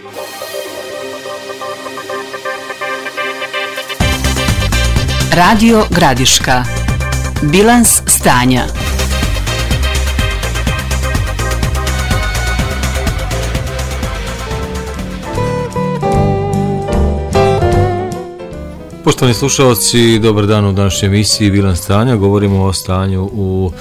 Radio Gradiška. Bilans stanja. Poštovani slušalci, dobar dan u današnjoj emisiji Bilans stanja. Govorimo o stanju u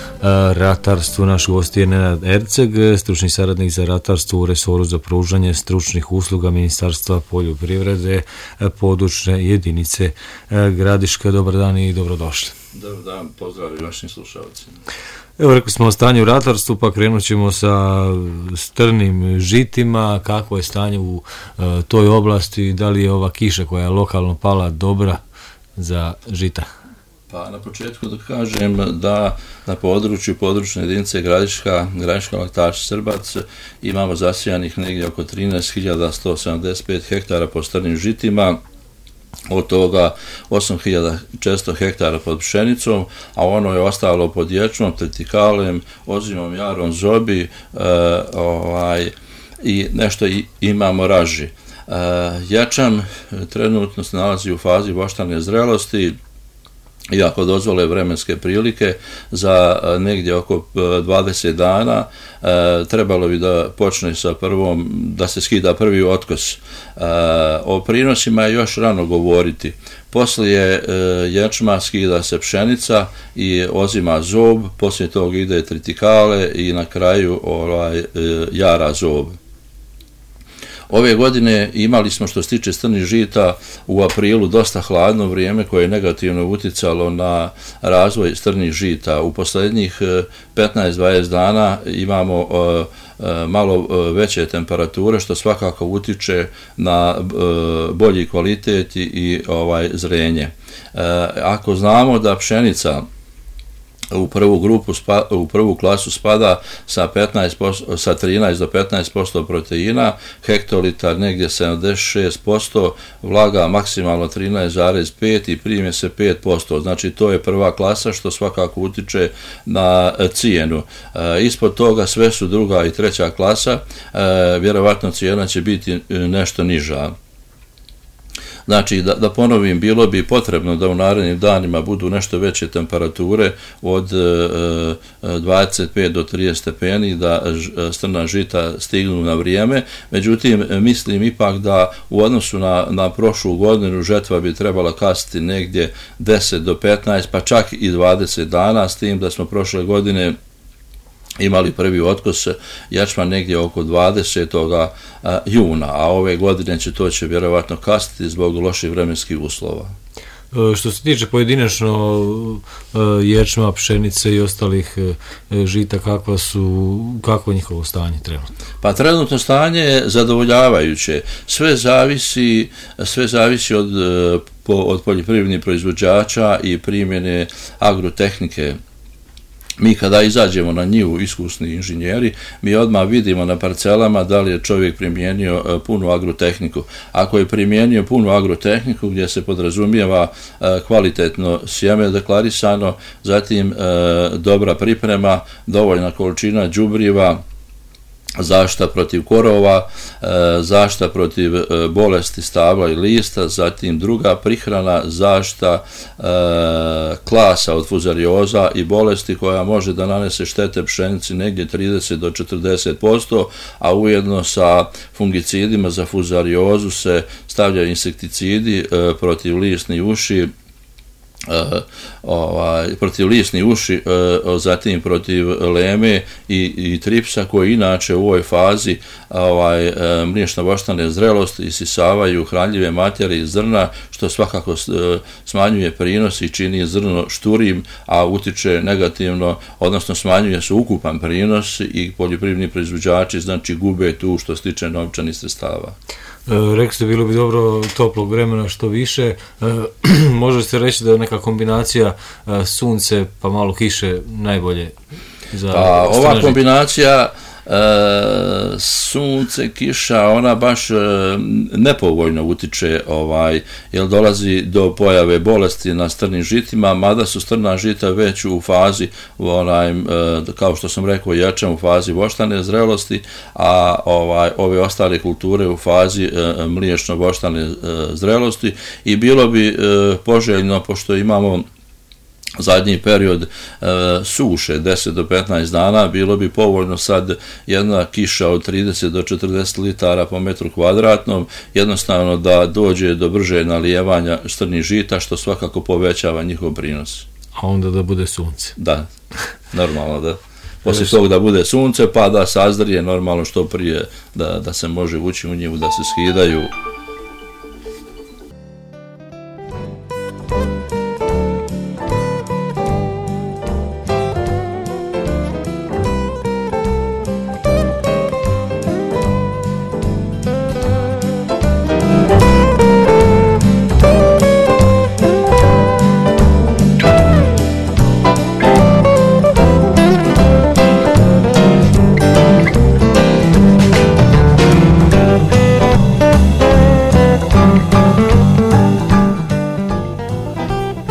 ratarstvu. Naš gost je Nenad Erceg, stručni saradnik za ratarstvo u resoru za pružanje stručnih usluga Ministarstva poljoprivrede, područne jedinice Gradiška. Dobar dan i dobrodošli. Dobar dan, pozdrav i vašim slušalcima. Evo, rekli smo o stanju u ratarstvu, pa krenut ćemo sa strnim žitima. Kako je stanje u toj oblasti? Da li je ova kiša koja je lokalno pala dobra za žita? Pa na početku da kažem da na području područne jedinice Gradiška Laktaš Srbac imamo zasijanih negdje oko 13.175 hektara po strnim žitima, od toga 8.400 hektara pod pšenicom, a ono je ostalo pod ječmom, tritikalem, ozimom, jarom, zobi i nešto imamo raži. Ječam trenutno se nalazi u fazi voštane zrelosti, i ako dozvole vremenske prilike, za negdje oko 20 dana trebalo bi da počne sa prvom, da se skida prvi otkos. O prinosima je još rano govoriti. Poslije ječma skida se pšenica i ozima zob, poslije toga ide tritikale i na kraju jara zob. Ove godine imali smo, što se tiče strnih žita, u aprilu dosta hladno vrijeme koje je negativno utjecalo na razvoj strnih žita. U posljednjih 15-20 dana imamo malo veće temperature, što svakako utječe na bolji kvalitet i zrenje. Ako znamo da pšenica u prvu klasu spada sa 13 do 15% proteina, hektolitar negdje 76%, vlaga maksimalno 13,5 i primje se 5%. Znači to je prva klasa, što svakako utječe na cijenu. Ispod toga sve su druga i treća klasa, vjerovatno cijena će biti nešto niža. Znači, da ponovim, bilo bi potrebno da u narednim danima budu nešto veće temperature od 25 do 30 stepeni, da strna žita stignu na vrijeme. Međutim, mislim ipak da u odnosu na prošlu godinu žetva bi trebala kasiti negdje 10 do 15, pa čak i 20 dana, s tim da smo prošle godine imali prvi otkos ječma negdje oko 20. juna, a ove godine to će vjerovatno kasniti zbog loših vremenskih uslova. Što se tiče pojedinačno ječma, pšenice i ostalih žita, kako je njihovo stanje trenutno? Pa trenutno stanje je zadovoljavajuće. Sve zavisi od poljoprivrednih proizvođača i primjene agrotehnike. Mi kada izađemo na njivu, iskusni inženjeri, mi odmah vidimo na parcelama da li je čovjek primijenio punu agrotehniku. Ako je primijenio punu agrotehniku gdje se podrazumijeva kvalitetno sjeme deklarisano, zatim dobra priprema, dovoljna količina đubriva, zaštita protiv korova, zaštita protiv bolesti stabla i lista, zatim druga prihrana, zaštita klasa od fuzarioza i bolesti koja može da nanese štete pšenici negdje 30 do 40%, a ujedno sa fungicidima za fuzariozu se stavljaju insekticidi protiv lisnih uši, zatim protiv leme i tripsa, koji inače u ovoj fazi mliječno voštane zrelosti isisavaju hranljive materije iz zrna, što svakako smanjuje prinos i čini zrno šturim, a utiče negativno, odnosno smanjuje se ukupan prinos i poljoprivredni proizvođači znači gube tu što se tiče novčanih sredstava. Rekli ste, bilo bi dobro toplog vremena što više. Može se reći da je neka kombinacija sunce pa malo kiše najbolje za ova kombinacija sunce, kiša, ona baš nepovoljno utiče, jer dolazi do pojave bolesti na strnim žitima, mada su strna žita već u fazi, kao što sam rekao, jačem u fazi voštane zrelosti, a ove ostale kulture u fazi mliječno-voštane zrelosti, i bilo bi poželjno, pošto imamo zadnji period suše 10 do 15 dana, bilo bi povoljno sad jedna kiša od 30 do 40 litara po metru kvadratnom, jednostavno da dođe do brže nalijevanja strnih žita, što svakako povećava njihov prinos. A onda da bude sunce. Da, normalno da. Poslije toga da bude sunce, pa da sazrije normalno što prije, da se može ući u njivu, da se skidaju.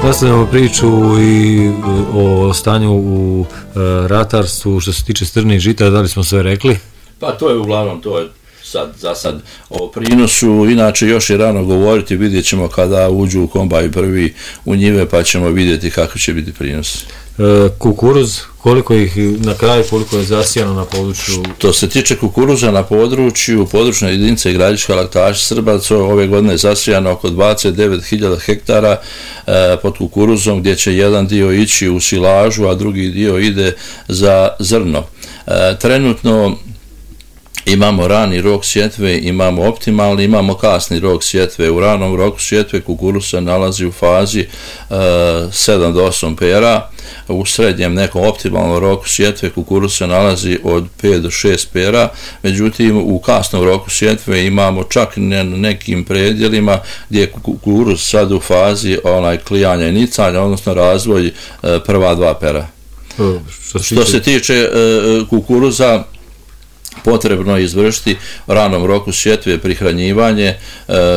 Nastavljamo priču i o stanju u ratarstvu što se tiče strnih žita, da li smo sve rekli? Pa to je uglavnom, to je za sad o prinosu, inače još je rano govoriti, vidjet ćemo kada uđu u kombaj prvi u njive, pa ćemo vidjeti kako će biti prinos. Kukuruz, koliko ih na kraju, koliko je zasijano na području? Što se tiče kukuruza na području područne jedinice Gradiška, Laktaš, Srbac, ove godine je zasijano oko 29.000 hektara pod kukuruzom, gdje će jedan dio ići u silažu, a drugi dio ide za zrno. Trenutno imamo rani rok sjetve, imamo optimalni, imamo kasni rok sjetve. U ranom roku sjetve kukuruz se nalazi u fazi 7 do 8 pera, u srednjem nekom optimalnom roku sjetve kukuruz se nalazi od 5 do 6 pera, međutim u kasnom roku sjetve imamo čak na nekim predjelima gdje je kukuruz sad u fazi klijanja i nicanja, odnosno razvoj prva 2 pera. Što se tiče kukuruza, potrebno je izvršiti u ranom roku sjetve prihranjivanje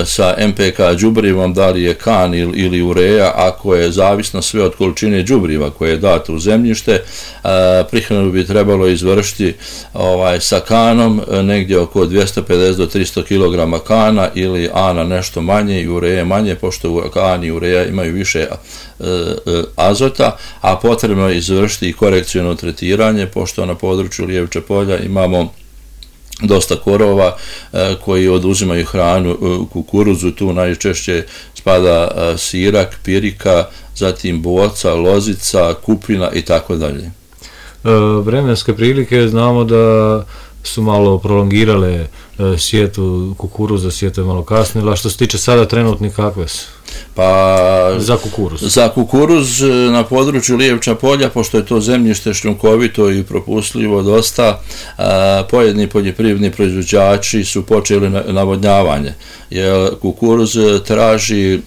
sa MPK đubrivom, da li je kan ili ureja, ako je zavisno sve od količine đubriva koje je dato u zemljište. Prihranu bi trebalo izvršiti sa kanom negdje oko 250 do 300 kg kana ili ana nešto manje i ureje manje, pošto kan i ureja imaju više azota, a potrebno je izvršiti i korekciono tretiranje, pošto na području Lijevče polja imamo dosta korova koji oduzimaju hranu kukuruzu, tu najčešće spada sirak, pirika, zatim boca, lozica, kupina i tako dalje. Vremenske prilike znamo da su malo prolongirale sjetvu kukuruza, sjetva je malo kasnila. Što se tiče sada trenutni, kakve su? Pa, za kukuruz na području Lijevča polja, pošto je to zemljište šljunkovito i propustljivo dosta, pojedini poljoprivredni proizvođači su počeli navodnjavanje, jer kukuruz traži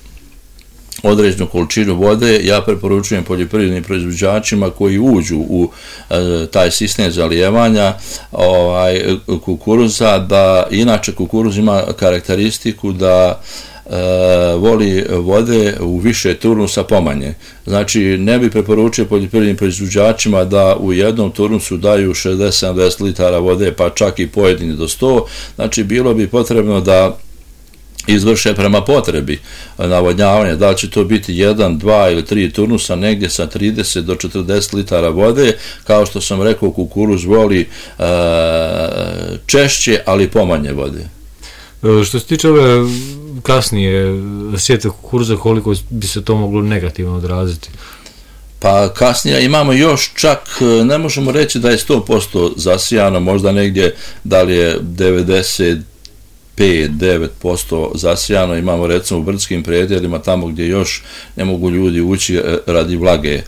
određenu količinu vode. Ja preporučujem poljoprivrednim proizvođačima koji uđu u taj sistem zalijevanja kukuruza, da inače kukuruz ima karakteristiku da voli vode u više turnusa pomanje. Znači, ne bi preporučio poljoprivrednim proizvođačima da u jednom turnusu daju 60-70 litara vode, pa čak i pojedini do 100. Znači, bilo bi potrebno da izvrše prema potrebi navodnjavanja, da li će to biti 1, 2 ili 3 turnusa, negdje sa 30 do 40 litara vode. Kao što sam rekao, kukuruz voli češće, ali pomanje vode. Što se tiče ove kasnije sjetve kukuruza, koliko bi se to moglo negativno odraziti? Pa kasnije imamo još čak, ne možemo reći da je 100% zasijano, možda negdje da li je 95-9% zasijano, imamo recimo u brdskim predjelima, tamo gdje još ne mogu ljudi ući radi vlage.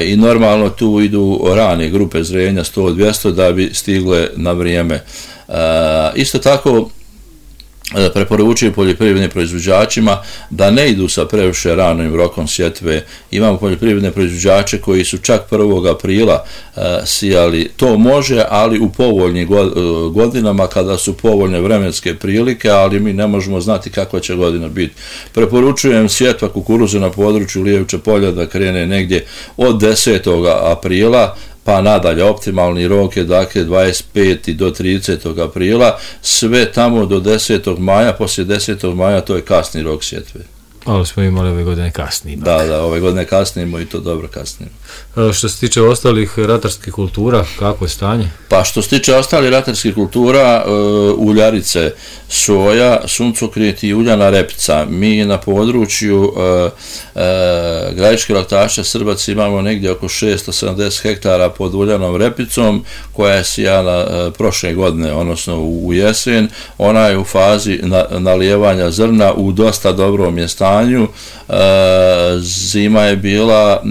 I normalno tu idu rane grupe zrenja 100-200 da bi stigle na vrijeme. Isto tako preporučuju poljoprivrednim proizvođačima da ne idu sa previše ranim rokom sjetve. Imamo poljoprivredne proizvođače koji su čak 1. aprila sijali. To može, ali u povoljnim godinama kada su povoljne vremenske prilike, ali mi ne možemo znati kakva će godina biti. Preporučujem sjetva kukuruza na području Lijevča polja da krene negdje od 10. aprila, pa nadalje. Optimalni rok je dakle 25. do 30. aprila, sve tamo do 10. maja, poslije 10. maja to je kasni rok sjetve. Ali smo imali ove godine kasnije. Da, ove godine kasnimo i to dobro kasnimo. Što se tiče ostalih ratarskih kultura, kako je stanje? Pa što se tiče ostalih ratarskih kultura, uljarice, soja, suncokret i uljana repica. Mi na području Gradiške laktaša Srbac imamo negdje oko 670 hektara pod uljanom repicom koja je sijana prošle godine, odnosno u jesen. Ona je u fazi nalijevanja zrna u dosta dobrom je stanju. Zima je bila,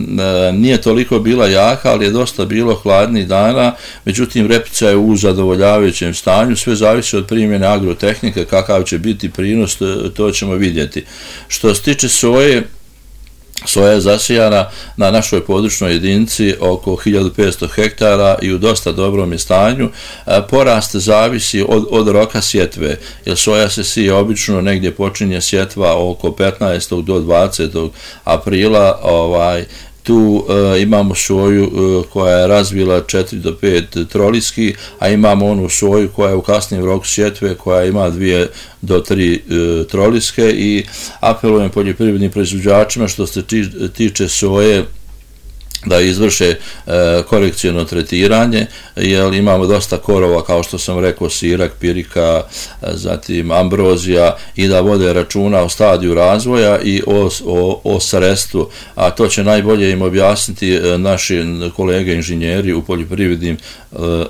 nije toliko bila jaka, ali je dosta bilo hladnih dana, međutim repica je u zadovoljavajućem stanju, sve zavisi od primjene agrotehnike, kakav će biti prinos, to ćemo vidjeti. Što se tiče soje, soja je zasijana na našoj područnoj jedinici oko 1500 hektara i u dosta dobrom je stanju. Porast zavisi od roka sjetve, jer soja se sije obično negdje počinje sjetva oko 15. do 20. aprila, tu imamo soju koja je razvila 4 do 5 troliski, a imamo onu soju koja je u kasnijem roku sjetve koja ima 2 do 3 troliske i apelujem poljoprivrednim proizvođačima što se tiče soje da izvrše korekcijno tretiranje, jer imamo dosta korova, kao što sam rekao, sirak, pirika, zatim ambrozija, i da vode računa o stadiju razvoja i o sredstvu, a to će najbolje im objasniti naši kolege inženjeri u poljoprivrednim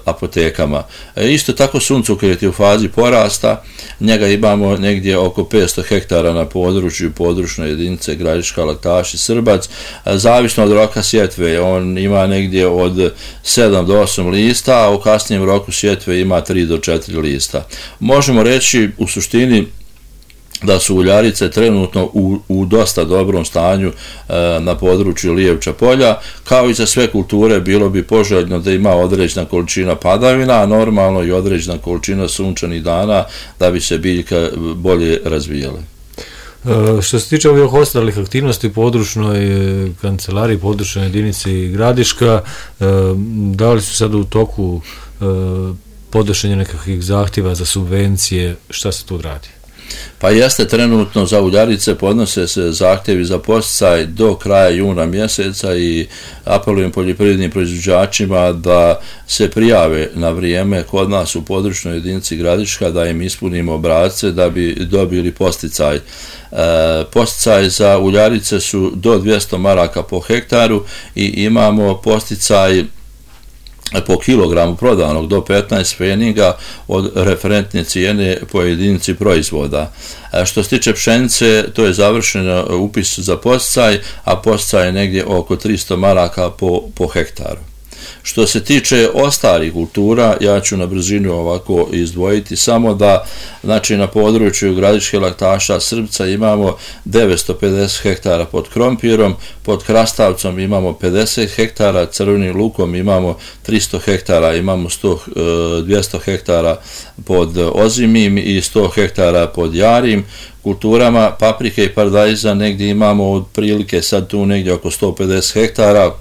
apotekama. Isto tako suncokret je u fazi porasta, njega imamo negdje oko 500 hektara na području područne jedinice Gradiška laktaša Srbac, zavisno od roka sjetve. On ima negdje od 7 do 8 lista, a u kasnijem roku sjetve ima 3 do 4 lista. Možemo reći u suštini da su uljarice trenutno u dosta dobrom stanju na području Lijevča polja. Kao i za sve kulture bilo bi poželjno da ima određena količina padavina, a normalno i određena količina sunčanih dana da bi se biljka bolje razvijale. Što se tiče ovih ostalih aktivnosti područnoj kancelariji, područnoj jedinici Gradiška, da li su sad u toku podnošenja nekakvih zahtjeva za subvencije, šta se tu radi? Pa jeste, trenutno za uljarice podnose se zahtjevi za podsticaj do kraja juna mjeseca i apelujem poljoprivrednim proizvođačima da se prijave na vrijeme kod nas u područnoj jedinici Gradiška, da im ispunimo obrasce da bi dobili podsticaj. Podsticaj za uljarice su do 200 maraka po hektaru i imamo podsticaj po kilogramu prodanog do 15 pfeniga od referentne cijene po jedinici proizvoda. Što se tiče pšenice, to je završeno upis za podsticaj, a podsticaj je negdje oko 300 maraka po hektaru. Što se tiče ostalih kultura, ja ću na brzinu ovako izdvojiti samo da, znači, na području Gradiške laktaša Srbca imamo 950 hektara pod krompirom, pod krastavcom imamo 50 hektara, crvenim lukom imamo 300 hektara, imamo 200 hektara pod ozimim i 100 hektara pod jarim. Kulturama paprike i paradajza negdje imamo otprilike sad tu negdje oko 150 hektara,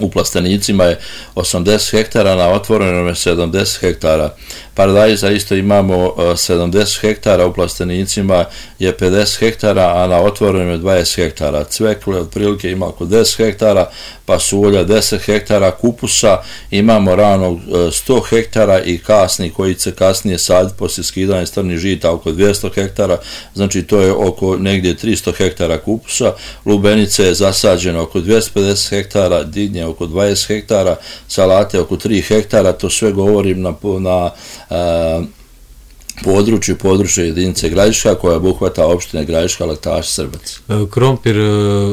u plastenicima je 80 hektara, na otvorenom je 70 hektara. Paradajza isto imamo 70 hektara, u plastenicima je 50 hektara, a na otvorenom je 20 hektara. Cvekle otprilike ima oko 10 hektara, pasulja 10 hektara, kupusa imamo ranog 100 hektara i kasni koji će kasnije saditi poslije skidanja strnih žita oko 200 hektara, znači to je oko negdje 300 hektara kupusa. Lubenice je zasađeno oko 250 hektara, dinje oko 20 hektara, salate oko 3 hektara, to sve govorim na područje jedinice Gradiška koja obuhvata opštine Gradiška laktaša Srbac. Krompir,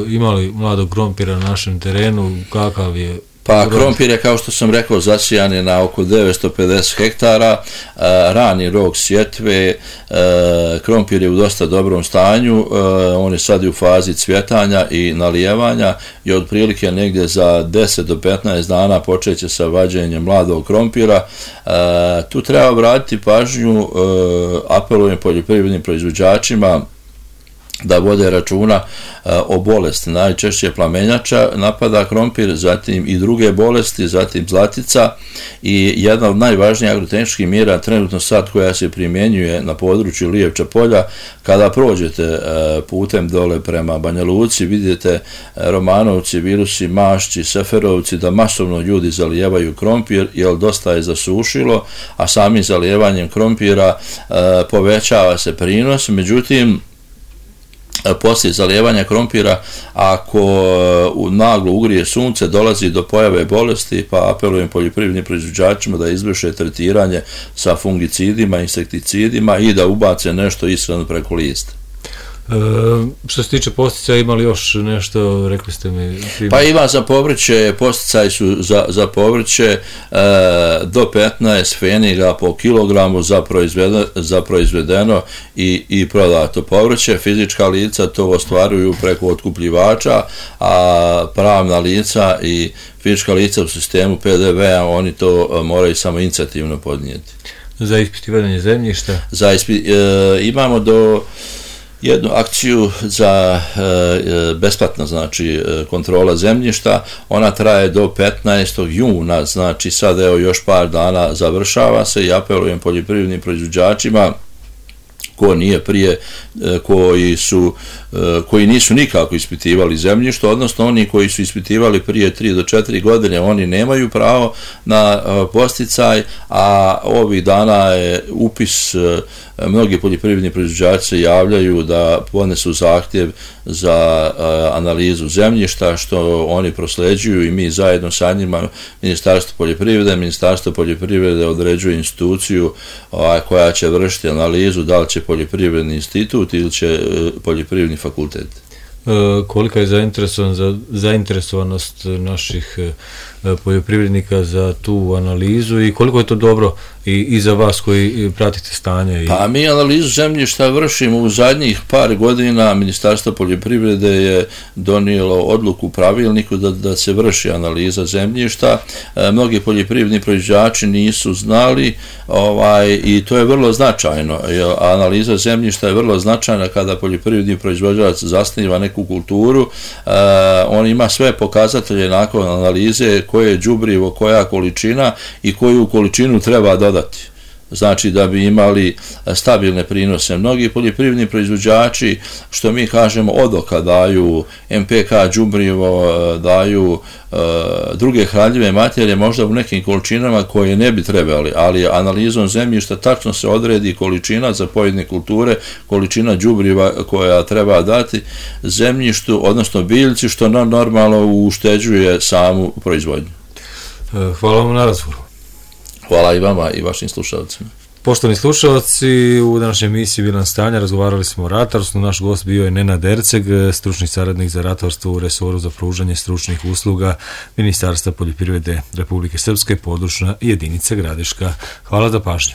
imali mladog krompira na našem terenu, kakav je Pa krompir je, kao što sam rekao, zasijan je na oko 950 hektara, rani rok sjetve, krompir je u dosta dobrom stanju, on je sad u fazi cvjetanja i nalijevanja i otprilike negdje za 10 do 15 dana počeće sa vađenjem mladog krompira. Tu treba obratiti pažnju, apelujem poljoprivrednim proizvođačima da vode računa o bolesti. Najčešće plamenjača napada krompir, zatim i druge bolesti, zatim zlatica i jedna od najvažnijih agrotehničkih mjera trenutno sad koja se primjenjuje na području Lijevča polja, kada prođete putem dole prema Banja Luci, vidite Romanovci, Virusi, Mašći, Seferovci, da masovno ljudi zalijevaju krompir jer dosta je zasušilo, a samim zalijevanjem krompira povećava se prinos. Međutim, poslije zalijevanja krompira, ako naglo ugrije sunce, dolazi do pojave bolesti, pa apelujem poljoprivrednim proizvođačima da izvrše tretiranje sa fungicidima, insekticidima i da ubace nešto ishranu preko lista. Što se tiče posticaja, ima li još nešto, rekli ste mi? Pa ima za povrće, posticaji su za povrće do 15 pfeniga po kilogramu za proizvedeno i prodato povrće. Fizička lica to ostvaruju preko otkupljivača, a pravna lica i fizička lica u sistemu PDV-a oni to moraju samo inicijativno podnijeti. Za ispitivanje zemljišta? Imamo jednu akciju za besplatno, znači kontrola zemljišta, ona traje do 15. juna, znači sad evo još par dana završava se i apelujem poljoprivrednim proizvođačima ko nije prije, koji nisu nikako ispitivali zemljište, odnosno oni koji su ispitivali prije 3 do 4 godine, oni nemaju pravo na posticaj, a ovih dana je upis, mnogi poljoprivredni proizvođači se javljaju da podnesu zahtjev za analizu zemljišta, što oni prosleđuju i mi zajedno sa njima, Ministarstvo poljoprivrede određuje instituciju koja će vršiti analizu, da li će poljoprivredni institut ili će poljoprivredni fakultet. Kolika je zainteresovanost naših poljoprivrednika za tu analizu i koliko je to dobro i za vas koji pratite stanje? Pa mi analizu zemljišta vršimo u zadnjih par godina. Ministarstvo poljoprivrede je donijelo odluku u pravilniku da se vrši analiza zemljišta. Mnogi poljoprivredni proizvođači nisu znali i to je vrlo značajno. Analiza zemljišta je vrlo značajna kada poljoprivredni proizvođač zasniva neku kulturu. On ima sve pokazatelje nakon analize, koje je đubrivo, koja količina i koju količinu treba dodati. Znači da bi imali stabilne prinose. Mnogi poljoprivredni proizvođači, što mi kažemo, odoka daju, MPK đubrivo, daju druge hranjive materije, možda u nekim količinama koje ne bi trebali, ali analizom zemljišta tačno se odredi količina za pojedine kulture, količina đubriva koja treba dati zemljištu, odnosno biljci, što normalno ušteđuje samu proizvodnju. Hvala vam na razgovoru. Hvala i vama i vašim slušalcima. Poštovani slušalci, u današnjoj emisiji Bilans stanja razgovarali smo o ratarstvu. Naš gost bio je Nenad Erceg, stručni saradnik za ratarstvo u resoru za pružanje stručnih usluga Ministarstva poljoprivrede Republike Srpske, područna jedinica Gradiška. Hvala za pažnju.